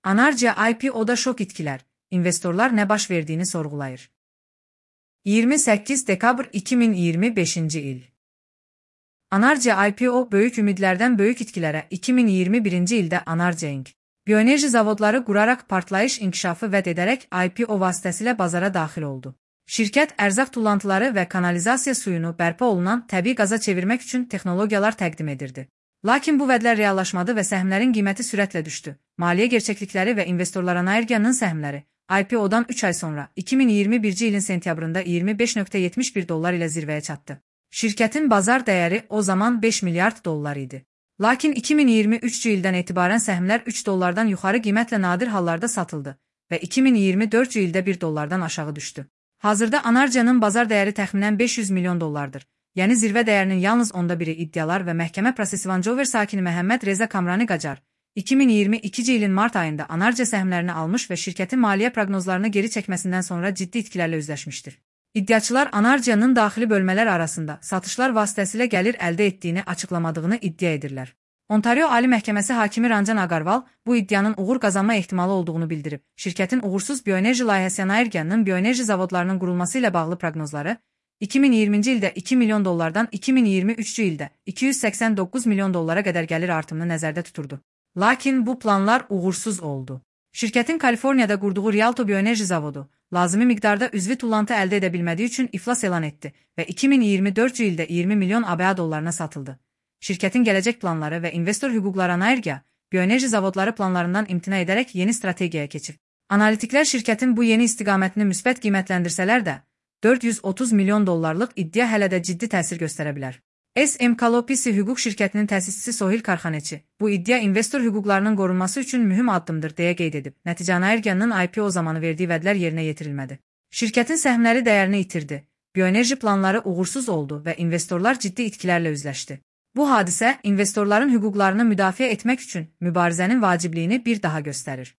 Anarca IPO'da şok itkiler, investorlar ne baş verdiğini sorgulayır. 28 dekabr 2025 il. Anarca IPO böyük ümidlərdən böyük itkilərə 2021 ildə Anarca Inc. Bioenerji zavodları qurarak partlayış inkişafı vəd edərək IPO vasitəsilə bazara daxil oldu. Şirkət ərzaq tullantıları və kanalizasiya suyunu bərpa olunan təbii qaza çevirmək üçün texnologiyalar təqdim edirdi. Lakin bu vədlər reallaşmadı və səhmlərin qiyməti sürətlə düşdü. Maliyyə gerçəklikləri və investorlar Anarca'nın səhmləri IPO'dan 3 ay sonra 2021 ilin sentyabrında $25.71 ilə zirvəyə çatdı. Şirkətin bazar dəyəri o zaman 5 milyard dollar idi. Lakin 2023 ildən etibarən səhmlər $3 yuxarı qiymətlə nadir hallarda satıldı və 2024 ildə $1 aşağı düşdü. Hazırda Anarca'nın bazar dəyəri təxminən 500 milyon dollardır. Yəni zirvə dəyərinin yalnız onda biri iddialar və məhkəmə prosesi Vancover sakini Məhəmməd Reza Kamrani Qacar 2022 ilin mart ayında Anarca səhmlərini almış və şirkətin maliyyə proqnozlarını geri çəkməsindən sonra ciddi itkilərlə üzləşmişdir. İddiaçılar Anarca'nın daxili bölmələr arasında satışlar vasitəsilə gəlir əldə etdiyini açıqlamadığını iddia edirlər. Ontario Ali Məhkəməsi hakimi Ranjan Agarwal bu iddianın uğur qazanma ehtimalı olduğunu bildirib. Şirkətin uğursuz bioenerji layihəsi Anarca'nın bioenerji zavodlarının qurulması ilə bağlı proqnozları 2020-ci ildə 2 milyon dollardan 2023-cü ildə 289 milyon dollara qədər gəlir artımını nəzərdə tuturdu. Lakin bu planlar uğursuz oldu. Şirkətin Kaliforniyada qurduğu Rialto bioenerji zavodu lazımi miqdarda üzvi tullantı əldə edə bilmədiyi üçün iflas elan etdi və 2024-cü ildə 20 milyon ABA dollarına satıldı. Şirkətin gələcək planları və investor hüquqları Anarca bioenerji zavodları planlarından imtina edərək yeni strategiyaya keçib. Analitiklər şirkətin bu yeni istiqamətini müsbət qiymətləndirsələr də, 430 milyon dollarlıq iddia hələ də ciddi təsir göstərə bilər. SM Kalopisi hüquq şirkətinin təsisçisi Sohil Karxaneçi, bu iddia investor hüquqlarının qorunması üçün mühüm addımdır deyə qeyd edib. Nəticə Anarca'nın IPO zamanı verdiyi vədlər yerinə yetirilmədi. Şirkətin səhmləri dəyərini itirdi, bioenerji planları uğursuz oldu və investorlar ciddi itkilərlə üzləşdi. Bu hadisə investorların hüquqlarını müdafiə etmək üçün mübarizənin vacibliyini bir daha göstərir.